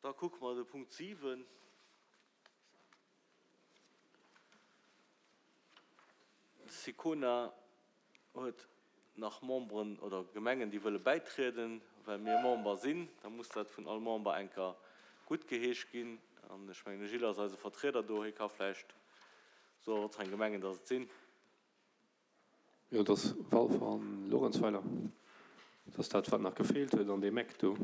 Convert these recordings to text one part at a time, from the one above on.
Da kucke mer de Punkt 7. D'Sicona huet nach Memberen oder Gemengen, déi wëlle bäitrieden. Well mir Member sinn, da muss dat vun all Member eng Kéier guttgeheescht ginn. An ech mengen, de Gilles ass eise Vertrieder do, hie ka vläicht soen, wat fir eng Gemengen dass et sinn. Jo, et ass Walfer an Luerenzweiler. Et ass dat, wat nach gefeelt huet an deem Eck do.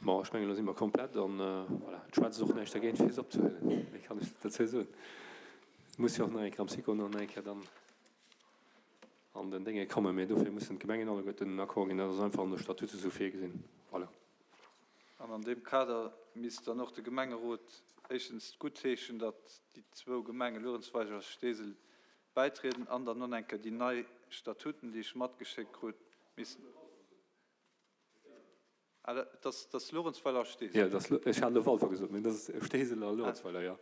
Bon, ech mengen, elo si mer komplett an voilà, et schwätzt och näischt dergéint, fir se opzehuelen. Méi kann ech net dozou soen. Et muss jo och nach eng Kéier am SICO nach eng Kéier dann an den Dénge kommen. Mee dofir mussen d'Gemengen alleguerten den Accord ginn. Dat ass einfach an de Statute esou virgesinn. Voilà. An an deem Kader misst dann och de Gemengerot éischtens guttheeschen, datt déi zwou Gemenge Luerenzweiler a Steesel bäitrieden an dann och eng Kéier déi nei Statuten, déi ech matgeschéckt krut, missten. Ah, dat ass, dat ass Luerenzweiler a Steesel. Jo, dat ass, ech hat elo Walfer gesot, mee dat ass Steesel a Luerenzweiler, jo.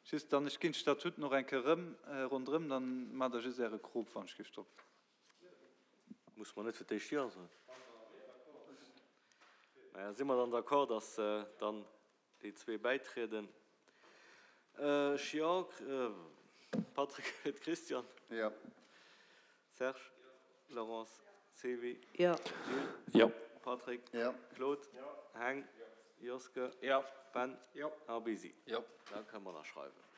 Just dann, ech ginn d'Statuten och eng Kéier erëm ronderëm, dann maacht Der just Äre Krop, wann ech géif drop. Muss mer net fir d'éischt Jo soen? Maja, si mer dann d'accord, dass dann Déi zwee bäitrieden. Ech jo. Patrick huet Christian. Jo. Serge. Laurence. Sylvie. Jo. Gilles. Jo. Patrick. Jo. Claude. Jo. Heng. Jo. Joske. Jo. Ben. Jo. A Bisi. Jo. Da kënne mer ënnerschreiwen.